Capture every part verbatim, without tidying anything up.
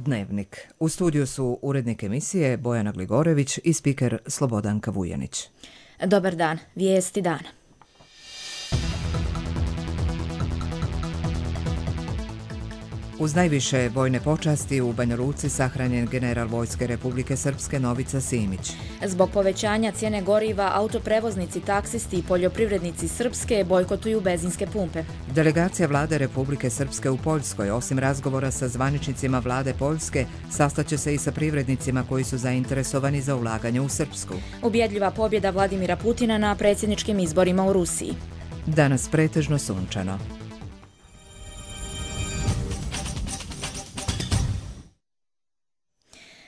Dnevnik. U studiju su urednik emisije Bojana Gligorević i spiker Slobodanka Vujanić. Dobar dan, vijesti dana. Uz najviše vojne počasti u Banja Luci sahranjen general Vojske Republike Srpske Novica Simić. Zbog povećanja cijene goriva, autoprevoznici, taksisti i poljoprivrednici Srpske bojkotuju benzinske pumpe. Delegacija vlade Republike Srpske u Poljskoj, osim razgovora sa zvaničnicima vlade Poljske, sastaće se i sa privrednicima koji su zainteresovani za ulaganje u Srpsku. Ubjedljiva pobjeda Vladimira Putina na predsjedničkim izborima u Rusiji. Danas pretežno sunčano.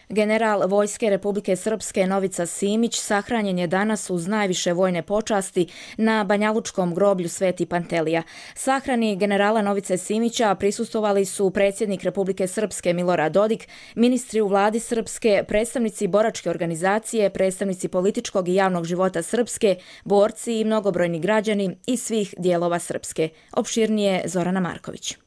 General Vojske Republike Srpske Novica Simić sahranjen je danas uz najviše vojne počasti na banjalučkom groblju Sveti Pantelija. Sahrani generala Novice Simića prisustvovali su predsjednik Republike Srpske Milorad Dodik, ministri u vladi Srpske, predstavnici boračke organizacije, predstavnici političkog i javnog života Srpske, borci i mnogobrojni građani iz svih dijelova Srpske. Opširnije Zorana Marković.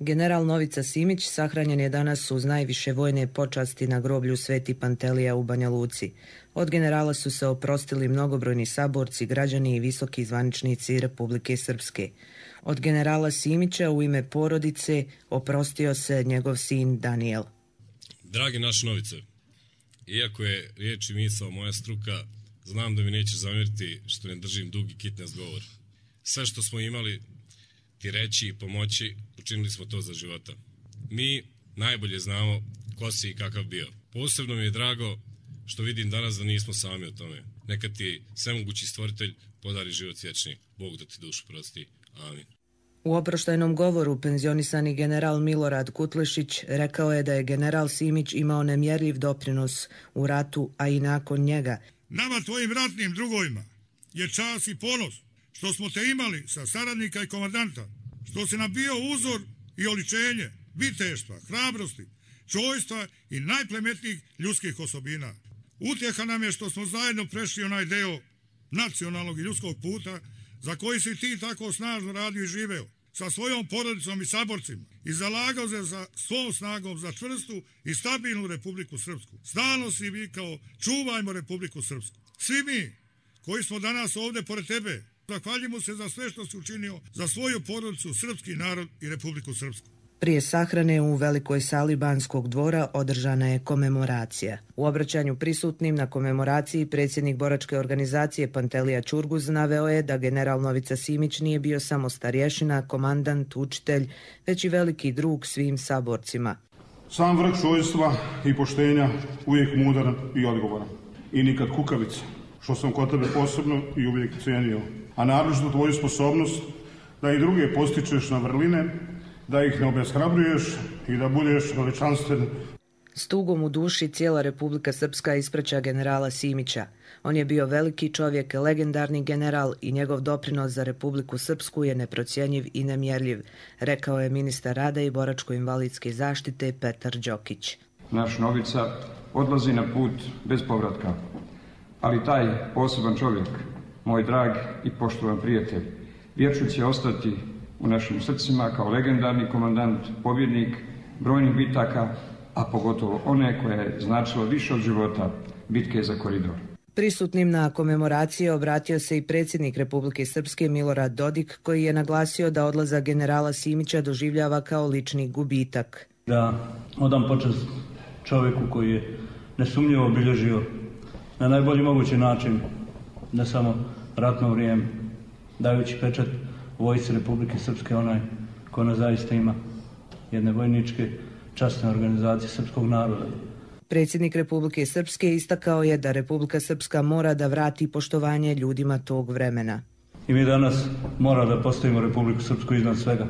General Novica Simić sahranjen je danas uz najviše vojne počasti na groblju Sveti Pantelija u Banja Luci. Od generala su se oprostili mnogobrojni saborci, građani i visoki zvaničnici Republike Srpske. Od generala Simića u ime porodice oprostio se njegov sin Daniel. Dragi naš Novice, iako je riječ i misao moja struka, znam da mi neće zamjeriti što ne držim dugi kitnes govor. Sve što smo imali ti reći i pomoći, učinili smo to za života. Mi najbolje znamo ko si i kakav bio. Posebno mi je drago što vidim danas da nismo sami o tome. Neka ti svemogući stvoritelj podari život vječni. Bog da ti dušu prosti. Amin. U oproštajnom govoru penzionisani general Milorad Kutlešić rekao je da je general Simić imao nemjerljiv doprinos u ratu, a i nakon njega. Nama, tvojim ratnim drugovima, je čast i ponos što smo te imali sa saradnika i komandanta, što si nam bio uzor i oličenje viteštva, hrabrosti, čojstva i najplemetnijih ljudskih osobina. Utjeha nam je što smo zajedno prešli onaj deo nacionalnog i ljudskog puta za koji si ti tako snažno radio i živeo, sa svojom porodicom i saborcima, i zalagao se za svom snagom za čvrstu i stabilnu Republiku Srpsku. Stalno si vikao, čuvajmo Republiku Srpsku. Svi mi koji smo danas ovdje pored tebe, zahvaljujemo se za sve što si učinio za svoju porodicu, srpski narod i Republiku Srpsku. Prije sahrane u velikoj sali Banskog dvora održana je komemoracija. U obraćanju prisutnim na komemoraciji predsjednik boračke organizacije Pantelija Ćurguz naveo je da general Novica Simić nije bio samo starješina, komandant, učitelj, već i veliki drug svim saborcima. Sam vrh čojstva i poštenja uvijek mudar i odgovoran. I nikad kukavica, što sam kod tebe posebno i uvijek cijenio. A naročito tvoju sposobnost da i druge postičeš na vrline, da ih ne obeshrabruješ i da budeš veličanstven. S tugom u duši cijela Republika Srpska ispraća generala Simića. On je bio veliki čovjek, legendarni general i njegov doprinos za Republiku Srpsku je neprocjenjiv i nemjerljiv, rekao je ministar rada i boračko-invalidske zaštite Petar Đokić. Naš Novica odlazi na put bez povratka, ali taj poseban čovjek, moj drag i poštovan prijatelj, vječno će ostati u našim srcima kao legendarni komandant, pobjednik brojnih bitaka, a pogotovo one koje je značilo više od života, bitke za koridor. Prisutnim na komemoraciji obratio se i predsjednik Republike Srpske Milorad Dodik, koji je naglasio da odlazak generala Simića doživljava kao lični gubitak. Da odam počast čovjeku koji je nesumnjivo obilježio na najbolji mogući način, ne samo ratno vrijeme, dajući pečat vojsci Republike Srpske, onaj koja ona zaista ima, jedne vojničke časne organizacije srpskog naroda. Predsjednik Republike Srpske istakao je da Republika Srpska mora da vrati poštovanje ljudima tog vremena. I mi danas mora da postavimo Republiku Srpsku iznad svega,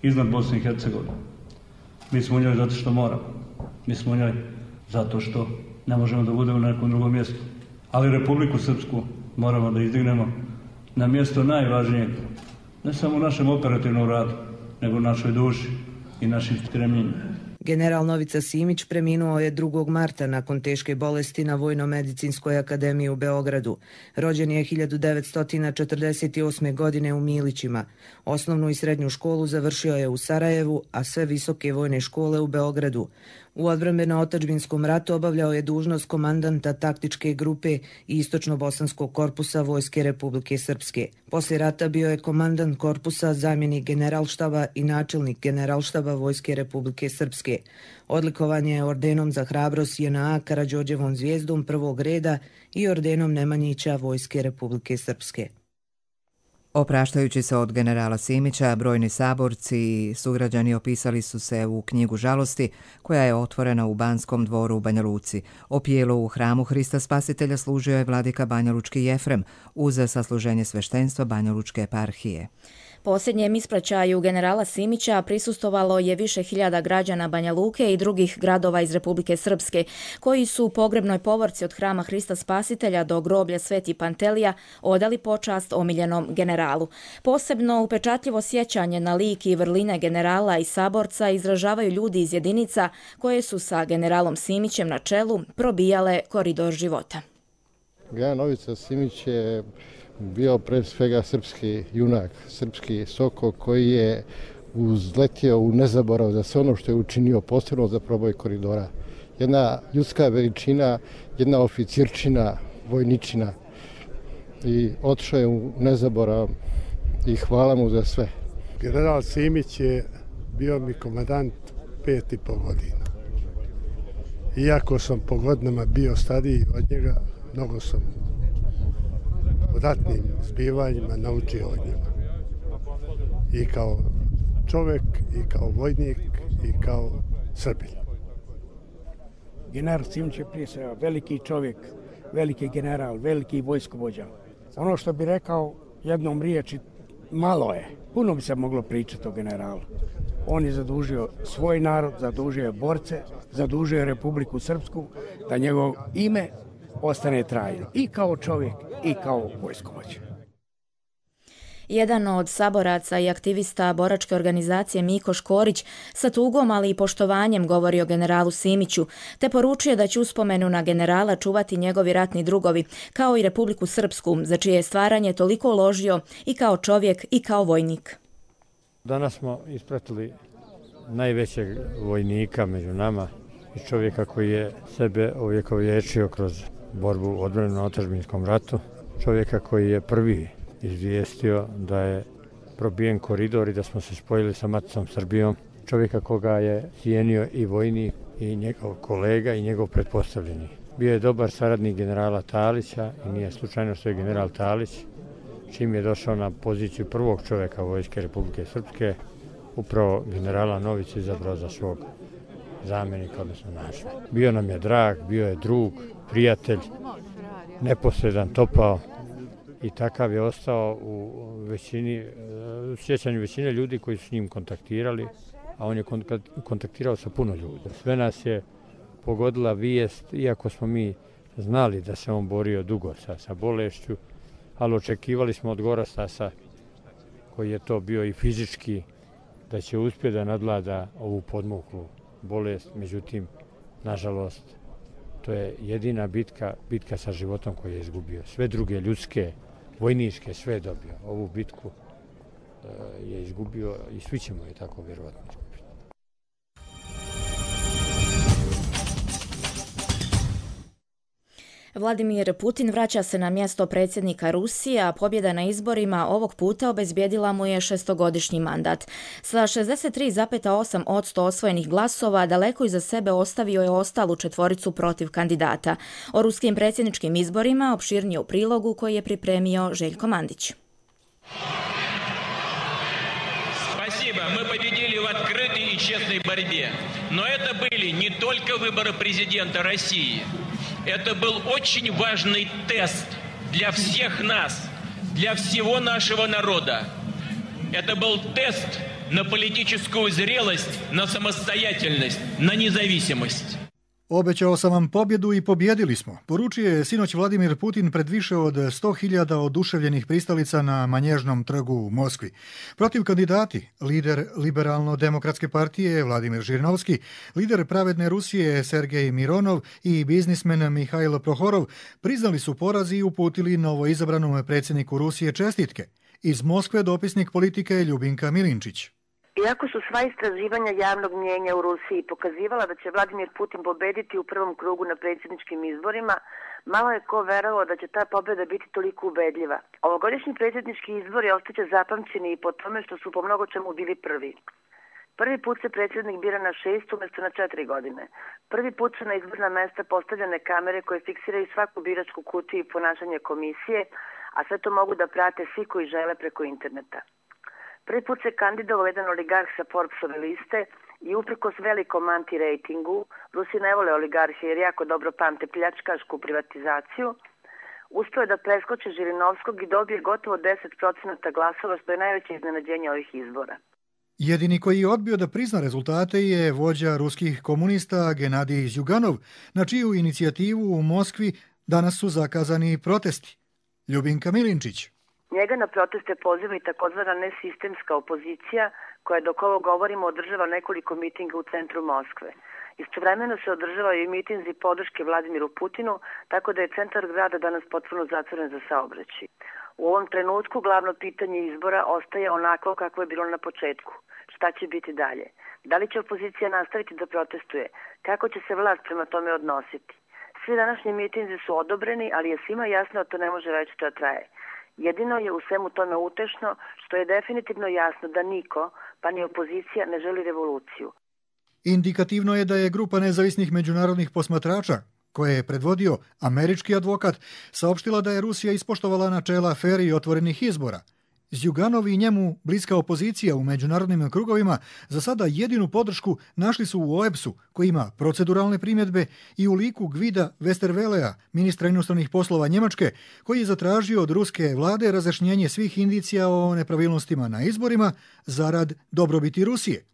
iznad Bosne i Hercegovine. Mi smo u njoj zato što moramo, mi smo u njoj zato što ne možemo da budemo na nekom drugom mjestu. Ali Republiku Srpsku moramo da izdignemo na mjesto najvažnijeg, ne samo u našem operativnom radu, nego u našoj duši i našim stremljenjima. General Novica Simić preminuo je drugog marta nakon teške bolesti na Vojno-medicinskoj akademiji u Beogradu. Rođen je hiljadu devetsto četrdeset osme. godine u Milićima. Osnovnu i srednju školu završio je u Sarajevu, a sve visoke vojne škole u Beogradu. U odbrambeno-otadžbinskom ratu obavljao je dužnost komandanta taktičke grupe i istočno-bosanskog korpusa Vojske Republike Srpske. Poslije rata bio je komandant korpusa, zamjenik generalštaba i načelnik generalštaba Vojske Republike Srpske. Odlikovan je ordenom za hrabrost J N A Karađorđevom zvijezdom prvog reda i ordenom Nemanjića Vojske Republike Srpske. Opraštajući se od generala Simića, brojni saborci i sugrađani opisali su se u knjigu žalosti koja je otvorena u Banskom dvoru u Banja Luci. Opijelo u hramu Hrista Spasitelja služio je vladika banjalučki Jefrem uz sasluženje sveštenstva Banjalučke eparhije. Posljednjem ispraćaju generala Simića prisustovalo je više hiljada građana Banja Luke i drugih gradova iz Republike Srpske, koji su u pogrebnoj povorci od hrama Hrista Spasitelja do groblja Sveti Pantelija odali počast omiljenom generalu. Posebno upečatljivo sjećanje na lik i vrline generala i saborca izražavaju ljudi iz jedinica koje su sa generalom Simićem na čelu probijale koridor života. General Novica Simić je bio pre svega srpski junak, srpski soko koji je uzletio u nezaborav za sve ono što je učinio posebno za proboj koridora. Jedna ljudska veličina, jedna oficirčina, vojničina i otišao je u nezaborav i hvala mu za sve. General Simić je bio mi komandant pet i pol godina. Iako sam po godinama bio stariji od njega, mnogo sam u ratnim zbivanjima naučio od njega. I kao čovjek, i kao vojnik, i kao Srbin. General Simić je prije svega veliki čovjek, veliki general, veliki vojskovođa. Ono što bi rekao jednom riječi, malo je. Puno bi se moglo pričati o generalu. On je zadužio svoj narod, zadužio je borce, zadužio je Republiku Srpsku, da njegovo ime ostane trajno. I kao čovjek, i kao vojskovođa. Jedan od saboraca i aktivista boračke organizacije Miko Škorić sa tugom, ali i poštovanjem govori o generalu Simiću, te poručuje da će uspomenu na generala čuvati njegovi ratni drugovi, kao i Republiku Srpsku, za čije je stvaranje toliko uložio i kao čovjek i kao vojnik. Danas smo ispratili najvećeg vojnika među nama i čovjeka koji je sebe ovjekovječio kroz borbu u odbrambeno-otadžbinskom ratu, čovjeka koji je prvi izvijestio da je probijen koridor i da smo se spojili sa maticom Srbijom, čovjeka koga je cijenio i vojnik i njegov kolega i njegov pretpostavljeni. Bio je dobar saradnik generala Talića i nije slučajno što je general Talić, čim je došao na poziciju prvog čovjeka Vojske Republike Srpske, upravo generala Novića izabrao za svog zamjenika, odnosno našeg. Bio nam je drag, bio je drug, prijatelj, neposredan, topao i takav je ostao u većini, u sjećanju većine ljudi koji su s njim kontaktirali, a on je kontaktirao sa puno ljudi. Sve nas je pogodila vijest, iako smo mi znali da se on borio dugo sa, sa bolešću, ali očekivali smo od Gorastasa, koji je to bio i fizički, da će uspjeti da nadvlada ovu podmuklu bolest. Međutim, nažalost, to je jedina bitka, bitka sa životom koju je izgubio. Sve druge ljudske, vojničke, sve je dobio. Ovu bitku e, je izgubio i svi ćemo je tako vjerovatno izgubiti. Vladimir Putin vraća se na mjesto predsjednika Rusije, a pobjeda na izborima ovog puta obezbijedila mu je šestogodišnji mandat. Sa šezdeset tri zarez osam posto osvojenih glasova daleko iza sebe ostavio je ostalu četvoricu protiv kandidata. O ruskim predsjedničkim izborima opširnije u prilogu koji je pripremio Željko Mandić. Спасибо, мы победили в открытой и честной борьбе. Но это были не только выборы президента России. Это был очень важный тест для всех нас, для всего нашего народа. Это был тест на политическую зрелость, на самостоятельность, на независимость. Obećao sam vam pobjedu i pobjedili smo, poručio je sinoć Vladimir Putin pred više od sto hiljada oduševljenih pristalica na Manježnom trgu u Moskvi. Protiv kandidati, lider Liberalno-demokratske partije Vladimir Žirinovski, lider Pravedne Rusije Sergej Mironov i biznismen Mihajlo Prohorov priznali su poraz i uputili novoizabranom predsjedniku Rusije čestitke. Iz Moskve dopisnik politike Ljubinka Milinčić. Iako su sva istraživanja javnog mnijenja u Rusiji pokazivala da će Vladimir Putin pobediti u prvom krugu na predsjedničkim izborima, malo je ko verovao da će ta pobjeda biti toliko ubedljiva. Ovogodišnji predsjednički izbori ostaće zapamćeni i po tome što su po mnogo čemu bili prvi. Prvi put se predsjednik bira na šest umjesto na četiri godine. Prvi put su na izborna mesta postavljene kamere koje fiksiraju svaku biračku kutiju i ponašanje komisije, a sve to mogu da prate svi koji žele preko interneta. Prvi put se kandidovao jedan oligarh sa Forbesove liste i uprkos velikom anti-rejtingu, Rusi ne vole oligarhe jer jako dobro pamte pljačkašku privatizaciju, uspio je da preskoči Žirinovskog i dobije gotovo deset procenata glasova, što je najveće iznenađenje ovih izbora. Jedini koji je odbio da prizna rezultate je vođa ruskih komunista Genadij Zjuganov, na čiju inicijativu u Moskvi danas su zakazani protesti. Ljubinka Milinčić. Njega na proteste poziva i takozvana nesistemska opozicija, koja dok ovo govorimo održava nekoliko mitinga u centru Moskve. Istovremeno se održavaju i mitinzi podrške Vladimiru Putinu, tako da je centar grada danas potpuno zatvoren za saobraćaj. U ovom trenutku glavno pitanje izbora ostaje onako kako je bilo na početku. Šta će biti dalje? Da li će opozicija nastaviti da protestuje? Kako će se vlast prema tome odnositi? Svi današnji mitinzi su odobreni, ali je svima jasno da to ne može večito da traje. Jedino je u svemu tome utešno što je definitivno jasno da niko, pa ni opozicija, ne želi revoluciju. Indikativno je da je grupa nezavisnih međunarodnih posmatrača, koje je predvodio američki advokat, saopštila da je Rusija ispoštovala načela fer i otvorenih izbora. Zjuganov i njemu bliska opozicija u međunarodnim krugovima za sada jedinu podršku našli su u O E B S-u, koji ima proceduralne primjedbe, i u liku Gvida Westervelea, ministra inostranih poslova Njemačke, koji je zatražio od ruske vlade razjašnjenje svih indicija o nepravilnostima na izborima zarad dobrobiti Rusije.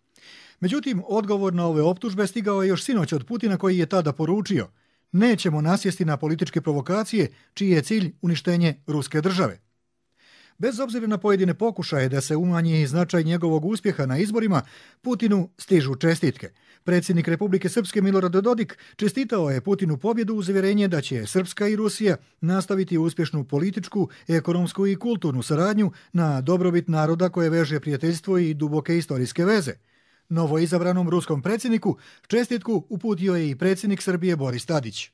Međutim, odgovor na ove optužbe stigao je još sinoć od Putina, koji je tada poručio: nećemo nasjesti na političke provokacije čiji je cilj uništenje ruske države. Bez obzira na pojedine pokušaje da se umanji značaj njegovog uspjeha na izborima, Putinu stižu čestitke. Predsjednik Republike Srpske Milorad Dodik čestitao je Putinu pobjedu uz uvjerenje da će Srpska i Rusija nastaviti uspješnu političku, ekonomsku i kulturnu saradnju na dobrobit naroda koje veže prijateljstvo i duboke istorijske veze. Novoizabranom ruskom predsjedniku čestitku uputio je i predsjednik Srbije Boris Tadić.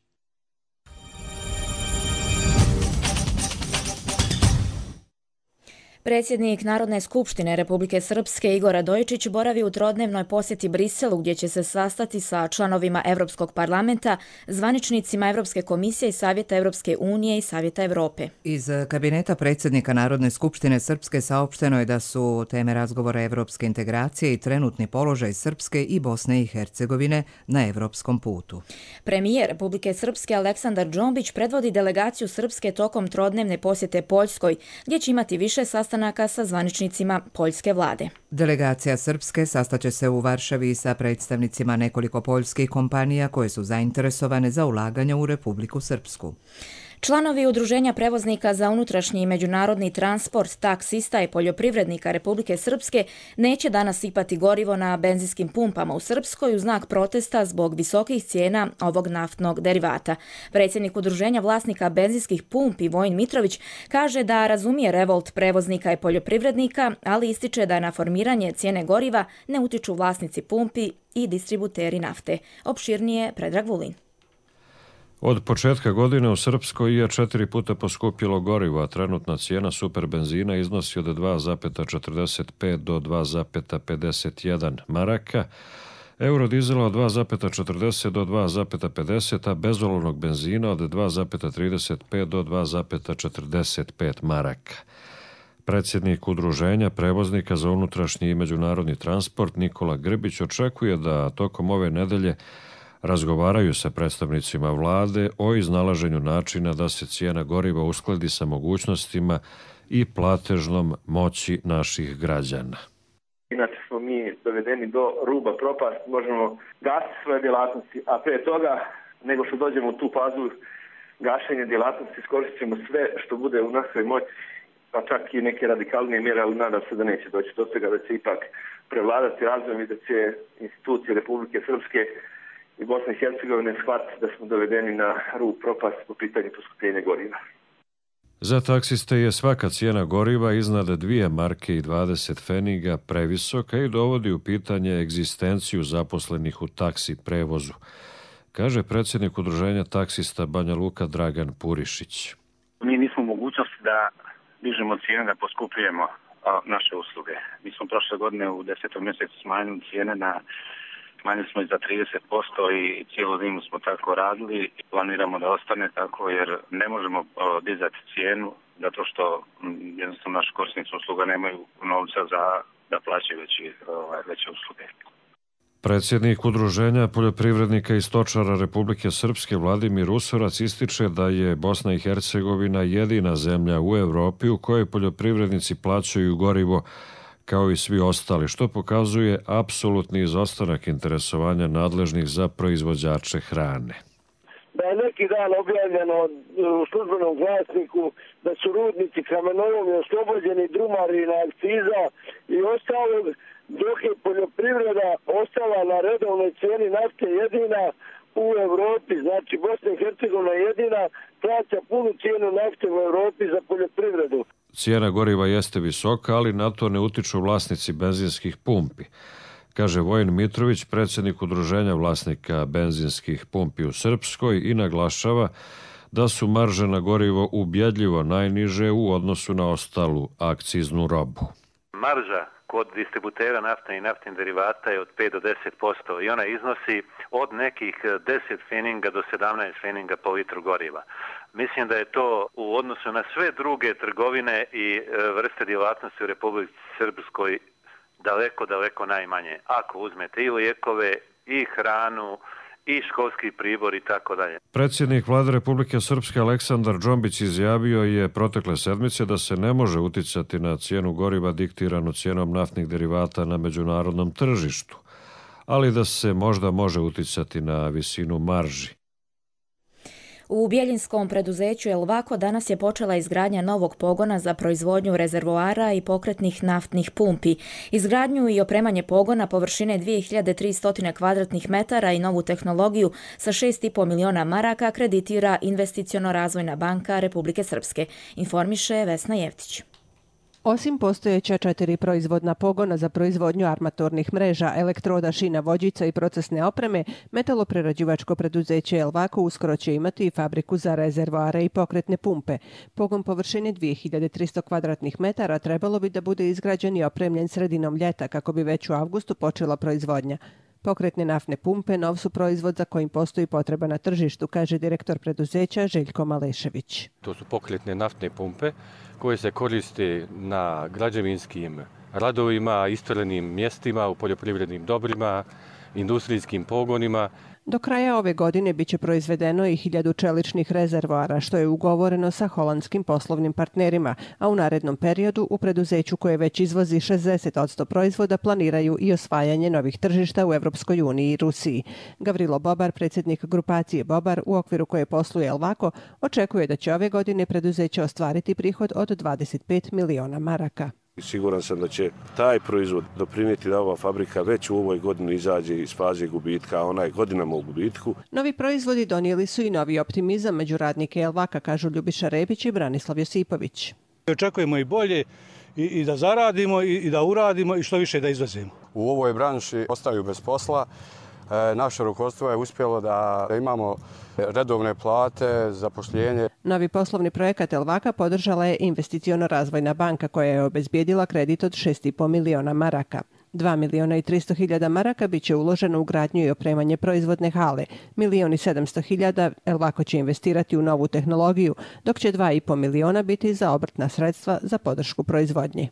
Predsjednik Narodne skupštine Republike Srpske Igor Radojičić boravi u trodnevnoj posjeti Briselu, gdje će se sastati sa članovima Europskog parlamenta, zvaničnicima Europske komisije i Savjeta Europske unije i Savjeta Europe. Iz kabineta predsjednika Narodne skupštine Srpske saopšteno je da su teme razgovora evropske integracije i trenutni položaj Srpske i Bosne i Hercegovine na evropskom putu. Premijer Republike Srpske Aleksandar Džombić predvodi delegaciju Srpske tokom trodnevne posjete Poljskoj, gdje će imati više sastanaka sa zvaničnicima poljske vlade. Delegacija Srpske sastaće se u Varšavi sa predstavnicima nekoliko poljskih kompanija koje su zainteresovane za ulaganja u Republiku Srpsku. Članovi Udruženja prevoznika za unutrašnji i međunarodni transport, taksista i poljoprivrednika Republike Srpske neće danas sipati gorivo na benzinskim pumpama u Srpskoj u znak protesta zbog visokih cijena ovog naftnog derivata. Predsjednik Udruženja vlasnika benzinskih pumpi Vojin Mitrović kaže da razumije revolt prevoznika i poljoprivrednika, ali ističe da na formiranje cijene goriva ne utiču vlasnici pumpi i distributeri nafte. Opširnije Predrag Vulin. Od početka godine u Srpskoj je četiri puta poskupilo gorivo, a trenutna cijena super benzina iznosi od dva zarez četrdeset pet do dva zarez pedeset jedan maraka, eurodizela od dva zarez četrdeset do dva zarez pedeset, a bezolovnog benzina od dva zarez trideset pet do dva zarez četrdeset pet maraka. Predsjednik Udruženja prevoznika za unutrašnji i međunarodni transport Nikola Grbić očekuje da tokom ove nedelje razgovaraju sa predstavnicima vlade o iznalaženju načina da se cijena goriva uskladi sa mogućnostima i platežnom moći naših građana. Inače smo mi dovedeni do ruba propasti, možemo gasiti svoje djelatnosti, a pre toga, nego što dođemo u tu fazu gašenja djelatnosti, iskoristit ćemo sve što bude u našoj moći, pa čak i neke radikalnije mjere, ali nadam se da neće doći do toga, da će ipak prevladati razvoj i da će institucije Republike Srpske i Bosne i Hercegovine shvatiti da smo dovedeni na rub propasti po pitanju poskupljenja goriva. Za taksiste je svaka cijena goriva iznad dvije marke i dvadeset pfeniga previsoka i dovodi u pitanje egzistenciju zaposlenih u taksi prevozu, kaže predsjednik udruženja taksista Banja Luka Dragan Purišić. Mi nismo u mogućnosti da dižemo cijene, da poskupljujemo naše usluge. Mi smo prošle godine u desetom mjesecu smanjili cijene na smanjili smo i za trideset posto i cijelu zimu smo tako radili i planiramo da ostane tako jer ne možemo dizati cijenu zato što jednostavno naši korisnici usluga nemaju novca za da plaćaju veći, veće usluge. Predsjednik udruženja poljoprivrednika i stočara Republike Srpske Vladimir Usorac ističe da je Bosna i Hercegovina jedina zemlja u Europi u kojoj poljoprivrednici plaćaju gorivo kao i svi ostali, što pokazuje apsolutni izostanak interesovanja nadležnih za proizvođače hrane. Da je neki dan objavljeno u službenom glasniku da su rudnici kamenolomi oslobođeni drumarina, akciza i ostalog, dok je poljoprivreda ostala na redovnoj cijeni nafte jedina u Europi, znači Bosna i Hercegovina jedina plaća punu cijenu nafte u Europi za poljoprivredu. Cijena goriva jeste visoka, ali na to ne utiču vlasnici benzinskih pumpi, kaže Vojin Mitrović, predsjednik udruženja vlasnika benzinskih pumpi u Srpskoj i naglašava da su marže na gorivo ubjedljivo najniže u odnosu na ostalu akciznu robu. Marža kod distributera nafte i naftnih derivata je od pet do deset posto i ona iznosi od nekih deset pfeninga do sedamnaest pfeninga po litru goriva. Mislim da je to u odnosu na sve druge trgovine i vrste djelatnosti u Republici Srpskoj daleko, daleko najmanje. Ako uzmete i lijekove, i hranu, i školski pribor i tako dalje. Predsjednik Vlade Republike Srpske Aleksandar Džombić izjavio je protekle sedmice da se ne može uticati na cijenu goriva diktiranu cijenom naftnih derivata na međunarodnom tržištu, ali da se možda može uticati na visinu marži. U bjeljinskom preduzeću Elvako danas je počela izgradnja novog pogona za proizvodnju rezervoara i pokretnih naftnih pumpi. Izgradnju i opremanje pogona površine dvije hiljade tristo kvadratnih metara i novu tehnologiju sa šest i po miliona maraka kreditira Investiciono-razvojna banka Republike Srpske, informiše Vesna Jevtić. Osim postojeća četiri proizvodna pogona za proizvodnju armatornih mreža, elektroda, šina, vođica i procesne opreme, metaloprerađivačko preduzeće Elvako uskoro će imati i fabriku za rezervoare i pokretne pumpe. Pogon površine dvije hiljade tristo kvadratnih metara trebalo bi da bude izgrađen i opremljen sredinom ljeta kako bi već u avgustu počela proizvodnja. Pokretne naftne pumpe nov su proizvod za kojim postoji potreba na tržištu, kaže direktor preduzeća Željko Malešević. To su pokretne naftne pumpe koje se koriste na građevinskim radovima, isturenim mjestima, u poljoprivrednim dobrima, industrijskim pogonima. Do kraja ove godine biće proizvedeno i hiljadu čeličnih rezervoara, što je ugovoreno sa holandskim poslovnim partnerima, a u narednom periodu u preduzeću koje već izvozi šezdeset posto proizvoda planiraju i osvajanje novih tržišta u Evropskoj uniji i Rusiji. Gavrilo Bobar, predsjednik grupacije Bobar, u okviru koje posluje Elvako, očekuje da će ove godine preduzeće ostvariti prihod od dvadeset pet miliona maraka. Siguran sam da će taj proizvod doprinijeti da ova fabrika već u ovoj godini izađe iz faze gubitka, a ona je godinama u gubitku. Novi proizvodi donijeli su i novi optimizam među radnike Elvaka, kažu Ljubiša Rebić i Branislav Josipović. Očekujemo i bolje i, i da zaradimo i, i da uradimo i što više da izvozimo. U ovoj branši ostaju bez posla. E, naše rukovodstvo je uspjelo da imamo redovne plate, zapošljenje. Novi poslovni projekat Elvaka podržala je Investiciono-razvojna banka koja je obezbijedila kredit od šest i po miliona maraka. dva miliona i tristo hiljada maraka bit će uloženo u gradnju i opremanje proizvodne hale. Milion i sedamsto hiljada Elvako će investirati u novu tehnologiju, dok će dva i po miliona biti za obrtna sredstva za podršku proizvodnji.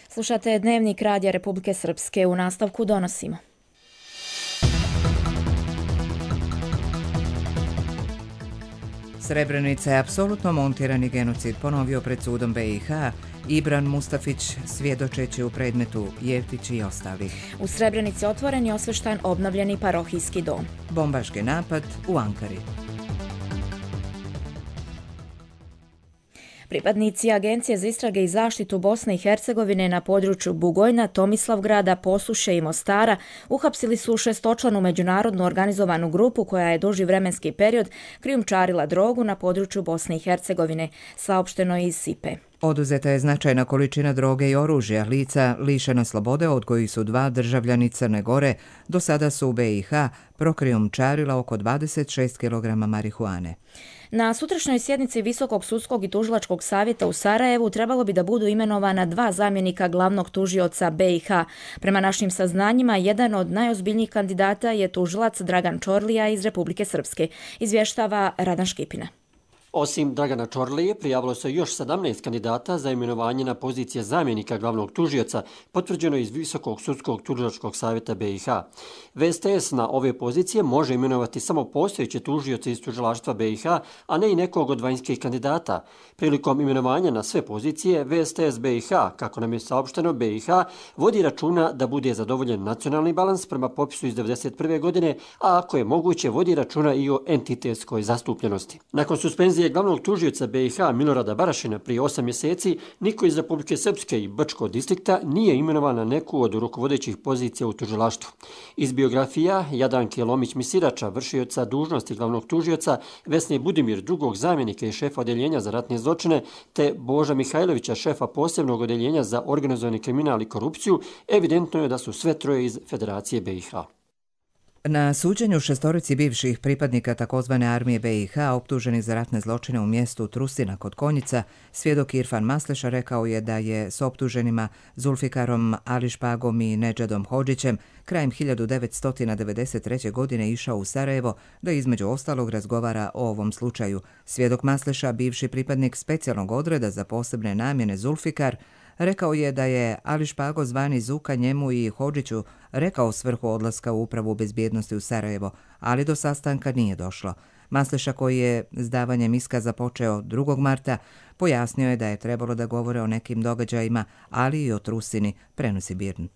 Slušate Dnevnik Radija Republike Srpske, u nastavku donosimo. Srebrenica je apsolutno montirani genocid ponovio pred sudom B i H Ibran Mustafić svjedočeći u predmetu Jeftić i ostali. U Srebrenici otvoren je osveštan obnovljeni parohijski dom. Bombaški napad u Ankari. Pripadnici Agencije za istrage i zaštitu Bosne i Hercegovine na području Bugojna, Tomislavgrada, Posuše i Mostara uhapsili su šestočlanu međunarodnu organizovanu grupu koja je duži vremenski period krijumčarila drogu na području Bosne i Hercegovine, saopšteno iz Sipe. Oduzeta je značajna količina droge i oružja. Lica lišena slobode, od kojih su dva državljani Crne Gore, do sada su u B i H prokrijumčarila oko dvadeset šest kilograma marihuane. Na sutrašnjoj sjednici Visokog sudskog i tužilačkog savjeta u Sarajevu trebalo bi da budu imenovana dva zamjenika glavnog tužioca B i H. Prema našim saznanjima, jedan od najozbiljnijih kandidata je tužilac Dragan Čorlija iz Republike Srpske, izvještava Radan Škipina. Osim Dragana Čorlije, prijavilo se još sedamnaest kandidata za imenovanje na pozicije zamjenika glavnog tužioca, potvrđeno iz Visokog sudskog tužilačkog savjeta B i H. V S T S na ove pozicije može imenovati samo postojeće tužioce iz tužilaštva B i H, a ne i nekog od vanjskih kandidata. Prilikom imenovanja na sve pozicije, V S T S B i H, kako nam je saopšteno, B i H vodi računa da bude zadovoljen nacionalni balans prema popisu iz devedeset prve godine, a ako je moguće, vodi računa i o entitetskoj zastupljenosti. Nakon suspenzije glavnog tužioca B i H Milorada Barašina prije osam mjeseci, niko iz Republike Srpske i Brčkog distrikta nije imenovan na neku od rukovodećih pozicija u tužilaštvu. Iz biografija Jadanke Lomić-Misirača, vršioca dužnosti glavnog tužioca, Vesne Budimir, drugog zamjenika i šefa odeljenja za ratne zločine, te Boža Mihajlovića, šefa posebnog odeljenja za organizovani kriminal i korupciju, evidentno je da su sve troje iz Federacije B i H. Na suđenju šestorici bivših pripadnika takozvane armije B i H optuženih za ratne zločine u mjestu Trusina kod Konjica, svjedok Irfan Masleša rekao je da je s optuženima Zulfikarom Ališpagom i Nedžadom Hodžićem krajem hiljadu devetsto devedeset treće. godine išao u Sarajevo da između ostalog razgovara o ovom slučaju. Svjedok Masleša, bivši pripadnik specijalnog odreda za posebne namjene Zulfikar, rekao je da je Ališpago zvani Zuka njemu i Hodžiću rekao svrhu odlaska u upravu bezbjednosti u Sarajevo, ali do sastanka nije došlo. Masleša, koji je s davanjem iskaza počeo drugog marta, pojasnio je da je trebalo da govore o nekim događajima, ali i o Trusini, prenosi Birn.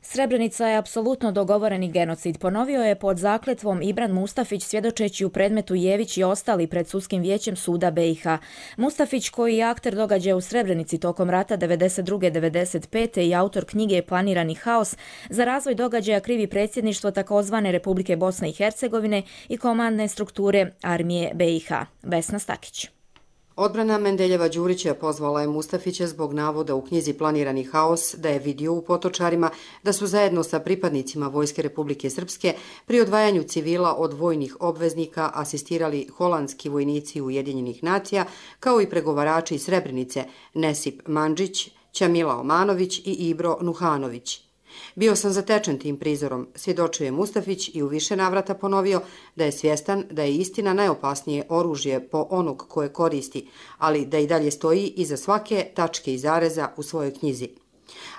Srebrenica je apsolutno dogovoreni genocid, ponovio je pod zakletvom Ibran Mustafić svjedočeći u predmetu Jević i ostali pred sudskim vijećem suda B i H. Mustafić, koji je akter događaja u Srebrenici tokom rata devedeset druge devedeset pete i autor knjige Planirani haos, za razvoj događaja krivi predsjedništvo takozvane Republike Bosne i Hercegovine i komandne strukture armije B i H. Vesna Stakić. Odbrana Mendeljeva Đurića pozvala je Mustafića zbog navoda u knjizi Planirani haos da je vidio u Potočarima da su zajedno sa pripadnicima Vojske Republike Srpske pri odvajanju civila od vojnih obveznika asistirali holandski vojnici Ujedinjenih nacija, kao i pregovarači iz Srebrenice Nesip Mandžić, Ćamila Omanović i Ibro Nuhanović. Bio sam zatečen tim prizorom, svjedočio je Mustafić i u više navrata ponovio da je svjestan da je istina najopasnije oružje po onog koje koristi, ali da i dalje stoji iza svake tačke i zareza u svojoj knjizi.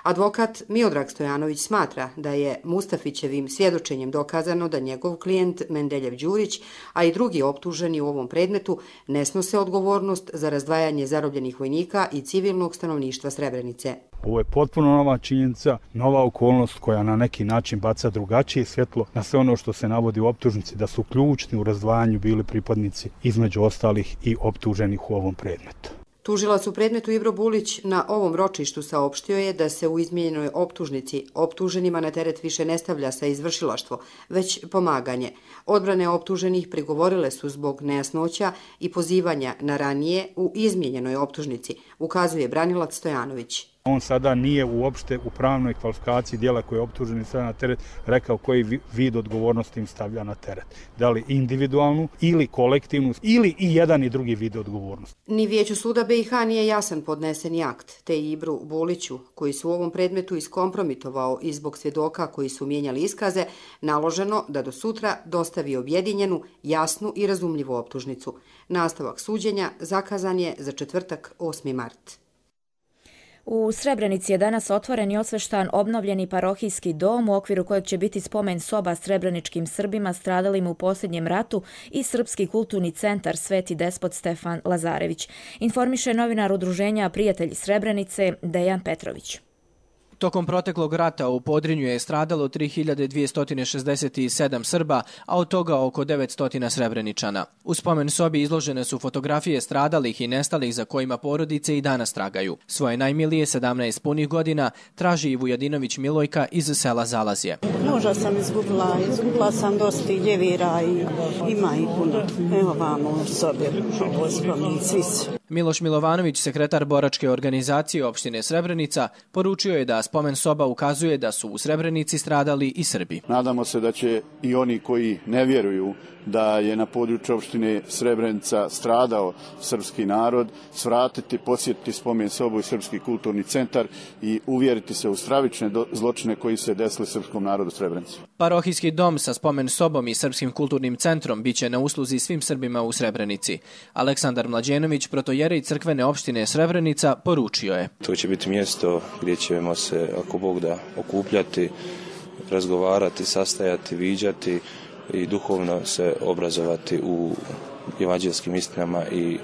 Advokat Miodrag Stojanović smatra da je Mustafićevim svjedočenjem dokazano da njegov klijent Mendeljev Đurić, a i drugi optuženi u ovom predmetu, ne snose odgovornost za razdvajanje zarobljenih vojnika i civilnog stanovništva Srebrenice. Ovo je potpuno nova činjenica, nova okolnost koja na neki način baca drugačije svjetlo na sve ono što se navodi u optužnici, da su ključni u razdvajanju bili pripadnici između ostalih i optuženih u ovom predmetu. Tužilac u predmetu Ibro Bulić na ovom ročištu saopštio je da se u izmijenjenoj optužnici optuženima na teret više ne stavlja sa izvršilaštvo, već pomaganje. Odbrane optuženih prigovorile su zbog nejasnoća i pozivanja na ranije u izmijenjenoj optužnici, ukazuje branilac Stojanović. On sada nije uopšte u pravnoj kvalifikaciji dijela koje je optuženi stavlja na teret rekao koji vid odgovornosti im stavlja na teret. Da li individualnu ili kolektivnu ili i jedan i drugi vid odgovornosti. Ni vijeću suda B i H nije jasan podneseni akt, te Ibru Buliću, koji su u ovom predmetu iskompromitovao i zbog svjedoka koji su mijenjali iskaze, naloženo da do sutra dostavi objedinjenu, jasnu i razumljivu optužnicu. Nastavak suđenja zakazan je za četvrtak osmi mart. U Srebrenici je danas otvoren i osveštan obnovljeni parohijski dom u okviru kojeg će biti spomen soba srebreničkim Srbima stradalim u posljednjem ratu i Srpski kulturni centar Sveti despot Stefan Lazarević. Informiše novinar udruženja Prijatelji Srebrenice Dejan Petrović. Tokom proteklog rata u Podrinju je stradalo tri hiljade dvjesto šezdeset sedam Srba, a od toga oko devetsto Srebreničana. U spomen sobi izložene su fotografije stradalih i nestalih za kojima porodice i danas tragaju. Svoje najmilije, sedamnaest punih godina, traži i Vujadinović Milojka iz sela Zalazje. Muža sam izgubila, izgubila sam dosta i ljevira i ima i puno. Evo vamo u sobi, ovo spomen, svi su. Miloš Milovanović, sekretar boračke organizacije opštine Srebrenica, poručio je da spomen soba ukazuje da su u Srebrenici stradali i Srbi. Nadamo se da će i oni koji ne vjeruju da je na području opštine Srebrenica stradao srpski narod, svratiti, posjetiti spomen sobu i Srpski kulturni centar i uvjeriti se u stravične zločine koji se desili srpskom narodu Srebrenici. Parohijski dom sa spomen sobom i Srpskim kulturnim centrom biće na usluzi svim Srbima u Srebrenici. Aleksandar Mlađenović, protojerej crkvene opštine Srebrenica, poručio je. To će biti mjesto gdje ćemo se, ako Bog da, okupljati, razgovarati, sastajati, viđati i duhovno se obrazovati u evanđelskim istinama i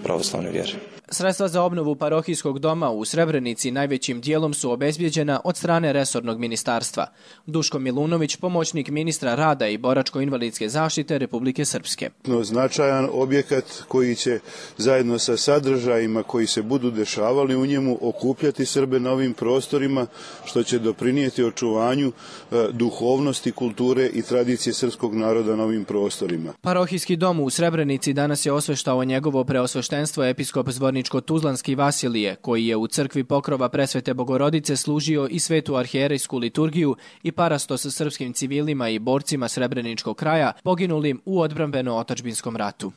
pravoslavne vjere. Sredstva za obnovu parohijskog doma u Srebrenici najvećim dijelom su obezbijeđena od strane resornog ministarstva. Duško Milunović, pomoćnik ministra rada i boračko-invalidske zaštite Republike Srpske. Značajan objekat koji će zajedno sa sadržajima koji se budu dešavali u njemu okupljati Srbe na ovim prostorima, što će doprinijeti očuvanju e, duhovnosti, kulture i tradicije srpskog naroda na ovim prostorima. Parohijski dom u Srebrenici danas je osveštao njegovo preosveštenstvo episkop Zvorničko-Tuzlanski Vasilije, koji je u crkvi Pokrova Presvete Bogorodice služio i svetu arhijerejsku liturgiju i parasto sa srpskim civilima i borcima Srebreničkog kraja poginulim u odbrambeno-otadžbinskom ratu.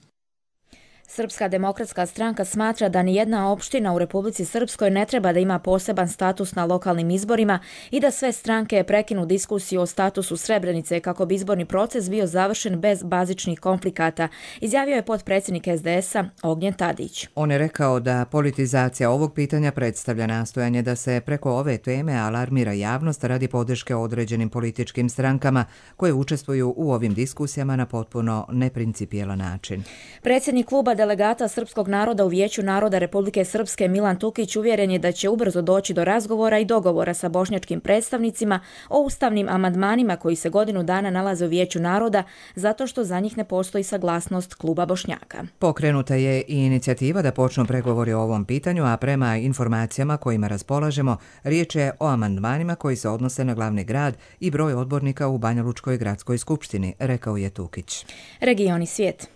Srpska demokratska stranka smatra da nijedna opština u Republici Srpskoj ne treba da ima poseban status na lokalnim izborima i da sve stranke prekinu diskusiju o statusu Srebrenice kako bi izborni proces bio završen bez bazičnih konflikata, izjavio je potpredsjednik es de es a Ognjen Tadić. On je rekao da politizacija ovog pitanja predstavlja nastojanje da se preko ove teme alarmira javnost radi podrške određenim političkim strankama koje učestvuju u ovim diskusijama na potpuno neprincipijelan način. Predsjednik kluba delegata srpskog naroda u Vijeću naroda Republike Srpske Milan Tukić uvjeren je da će ubrzo doći do razgovora i dogovora sa bošnjačkim predstavnicima o ustavnim amandmanima koji se godinu dana nalaze u Vijeću naroda zato što za njih ne postoji saglasnost kluba Bošnjaka. Pokrenuta je i inicijativa da počnu pregovori o ovom pitanju, a prema informacijama kojima raspolažemo, riječ je o amandmanima koji se odnose na glavni grad i broj odbornika u Banja Lučkoj gradskoj skupštini, rekao je Tukić. Regioni svijet.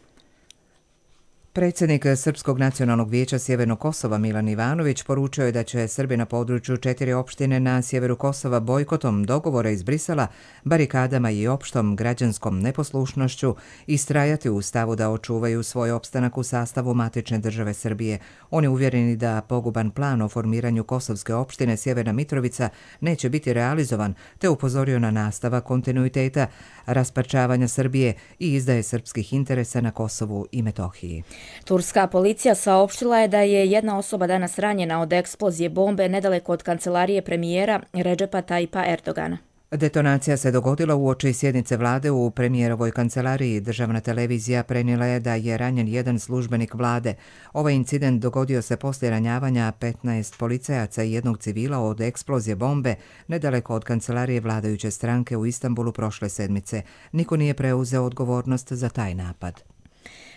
Predsjednik Srpskog nacionalnog vijeća Sjevernog Kosova Milan Ivanović poručio je da će Srbi na području četiri opštine na sjeveru Kosova bojkotom dogovora iz Brisela, barikadama i opštom građanskom neposlušnošću istrajati u stavu da očuvaju svoj opstanak u sastavu matične države Srbije. On je uvjereni da poguban plan o formiranju kosovske opštine Sjeverna Mitrovica neće biti realizovan, te upozorio na nastavak kontinuiteta rasparčavanja Srbije i izdaje srpskih interesa na Kosovu i Metohiji. Turska policija saopštila je da je jedna osoba danas ranjena od eksplozije bombe nedaleko od kancelarije premijera Redžepa Tayyipa Erdogana. Detonacija se dogodila uoči sjednice vlade u premijerovoj kancelariji. Državna televizija prenijela je da je ranjen jedan službenik vlade. Ovaj incident dogodio se poslije ranjavanja petnaest policajaca i jednog civila od eksplozije bombe nedaleko od kancelarije vladajuće stranke u Istanbulu prošle sedmice. Niko nije preuzeo odgovornost za taj napad.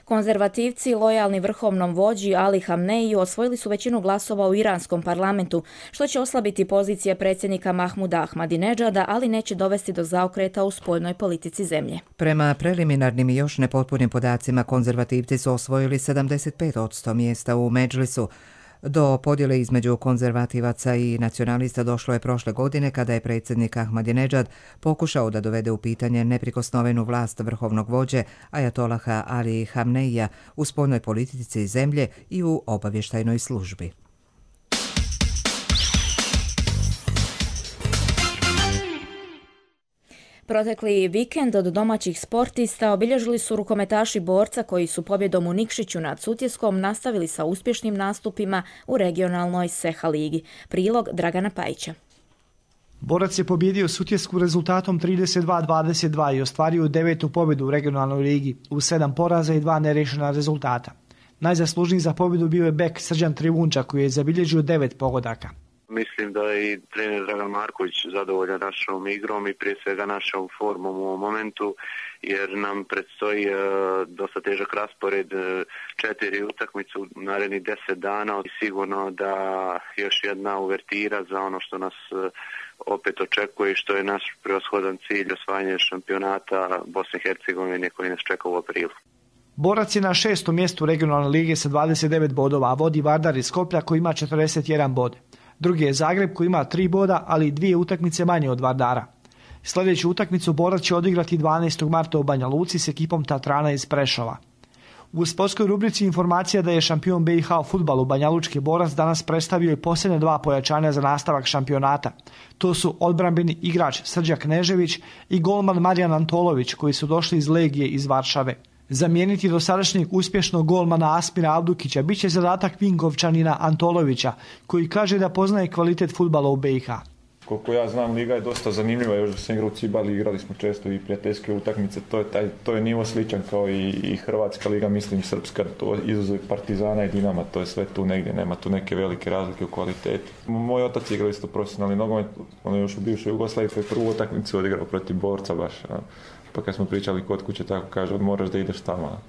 Konzervativci, lojalni vrhovnom vođi Ali Hamneiju, osvojili su većinu glasova u iranskom parlamentu, što će oslabiti pozicije predsjednika Mahmuda Ahmadinedžada, ali neće dovesti do zaokreta u spoljnoj politici zemlje. Prema preliminarnim i još nepotpunim podacima, konzervativci su osvojili sedamdeset pet posto mjesta u Medžlisu. Do podjele između konzervativaca i nacionalista došlo je prošle godine kada je predsjednik Ahmadinedžad pokušao da dovede u pitanje neprikosnovenu vlast vrhovnog vođe Ajatolaha Ali Hamneija u spoljnoj politici zemlje i u obavještajnoj službi. Protekli vikend od domaćih sportista obilježili su rukometaši Borca koji su pobjedom u Nikšiću nad Sutjeskom nastavili sa uspješnim nastupima u regionalnoj S E H A ligi. Prilog Dragana Pajića. Borac je pobjedio Sutjesku rezultatom trideset dva dvadeset dva i ostvario devetu pobjedu u regionalnoj ligi uz sedam poraza i dva nerešena rezultata. Najzaslužniji za pobjedu bio je bek Srđan Trivunča koji je zabilježio devet pogodaka. Mislim da je i trener Dragan Marković zadovoljan našom igrom i prije svega našom formom u ovom momentu, jer nam predstoji e, dosta težak raspored, e, četiri utakmice u narednih deset dana i sigurno da još jedna uvertira za ono što nas e, opet očekuje i što je naš prevashodan cilj, osvajanje šampionata Bosne i Hercegovine koji nas čeka u aprilu. Borac je na šestom mjestu regionalne lige sa dvadeset devet bodova, a vodi Vardar iz Skoplja koji ima četrdeset jedan bod. Drugi je Zagreb koji ima tri boda, ali i dvije utakmice manje od Vardara. Sljedeću utakmicu Borac će odigrati dvanaestog marta u Banja Luci s ekipom Tatrana iz Prešova. U sportskoj rubrici informacija da je šampion B i H u fudbalu Banjalučki Borac danas predstavio i posljednja dva pojačanja za nastavak šampionata. To su odbrambeni igrač Srđa Knežević i golman Marijan Antolović koji su došli iz Legije iz Varšave. Zamijeniti dosadašnjeg uspješnog golmana Asmira Abdukića bit će zadatak Vinkovčanina Antolovića, koji kaže da poznaje kvalitet fudbala u B i H. Koliko ja znam, liga je dosta zanimljiva, još da sam igrao u Cibali, igrali smo često i prijateljske utakmice, to je, taj, to je nivo sličan kao i, i Hrvatska liga, mislim Srpska, to izuzev Partizana i Dinama, to je sve tu negdje, nema tu neke velike razlike u kvaliteti. Moj otac igrao isto profesionalni nogomet, on je još u bivšoj Jugoslaviji, to je prvu utakmicu odigrao protiv Borca baš. A. Pa kad smo pričali kod kuće, tako kaže, moraš da ideš tamo.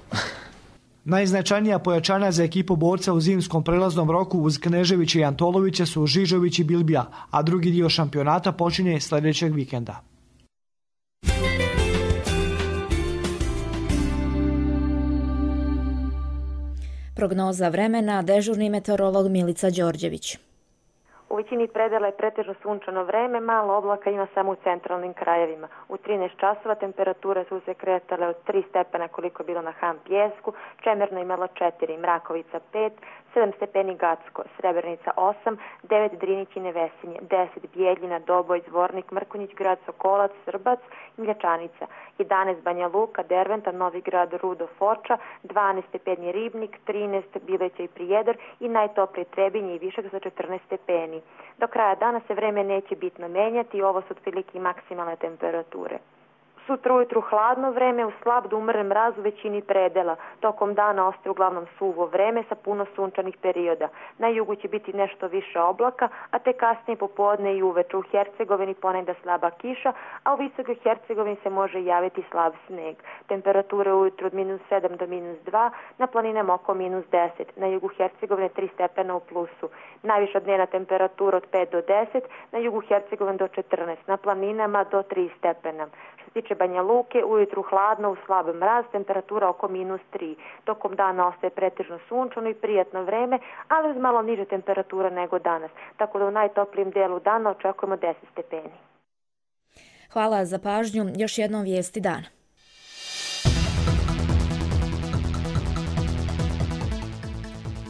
Najznačajnija pojačanja za ekipu Borca u zimskom prelaznom roku uz Kneževića i Antolovića su Žižović i Bilbija, a drugi dio šampionata počinje sljedećeg vikenda. Prognoza vremena, dežurni meteorolog Milica Đorđević. U većini predela je pretežno sunčano vreme, malo oblaka ima samo u centralnim krajevima. U trinaest časova temperature su se kretale od tri stepena koliko je bilo na Han Pjesku, Čemerno imalo četiri, Mrakovica pet, sedam stepeni Gacko, Srebrnica osam, devet Drinić i Nevesinje, deset Bijeljina, Doboj, Zvornik, Mrkonjić, Grad Sokolac, Srbac i Mljačanica, jedanaest Banja Luka, Derventa, Novi Grad, Rudo, Foča, dvanaest stepeni Ribnik, trinaest Bileća i Prijedor i najtoplije Trebinje i Višak za četrnaest stepeni. Do kraja dana se vreme neće bitno menjati i ovo su otprilike maksimalne temperature. Sutra ujutru hladno vreme, u slab do umeren mraz u većini predela. Tokom dana ostaje uglavnom suvo vreme sa puno sunčanih perioda. Na jugu će biti nešto više oblaka, a te kasnije popodne i uveče u Hercegovini ponegda slaba kiša, a u Visokoj Hercegovini se može javiti slab sneg. Temperature ujutru od minus sedam do minus dva, na planinama oko minus deset, na jugu Hercegovine tri stepena u plusu. Najviša dnevna temperatura od pet do deset, na jugu Hercegovine do četrnaest, na planinama do tri stepena. Što se tiče Banja Luke, ujutru hladno, u slab mraz, temperatura oko minus tri. Tokom dana ostaje pretežno sunčano i prijatno vreme, ali uz malo niže temperatura nego danas. Tako da u najtoplijem dijelu dana očekujemo deset stepeni. Hvala za pažnju. Još jednom vijesti dana.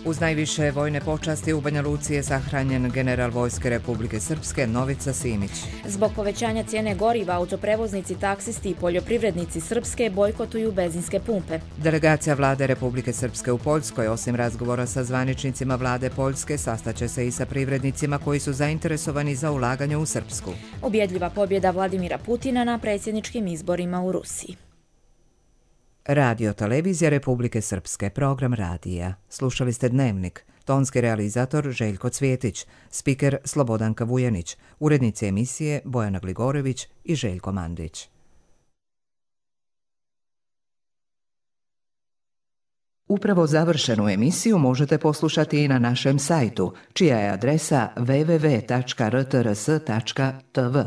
Uz najviše vojne počasti u Banja Luci je sahranjen general Vojske Republike Srpske Novica Simić. Zbog povećanja cijene goriva, autoprevoznici, taksisti i poljoprivrednici Srpske bojkotuju benzinske pumpe. Delegacija vlade Republike Srpske u Poljskoj, osim razgovora sa zvaničnicima vlade Poljske, sastaće se i sa privrednicima koji su zainteresovani za ulaganje u Srpsku. Ubjedljiva pobjeda Vladimira Putina na predsjedničkim izborima u Rusiji. Radio Televizija Republike Srpske, program radija. Slušali ste Dnevnik. Tonski realizator Željko Cvjetić, spiker Slobodanka Vujanić, urednici emisije Bojana Gligorević i Željko Mandić. Upravo završenu emisiju možete poslušati i na našem sajtu, čija je adresa w w w tačka r t r s tačka t v.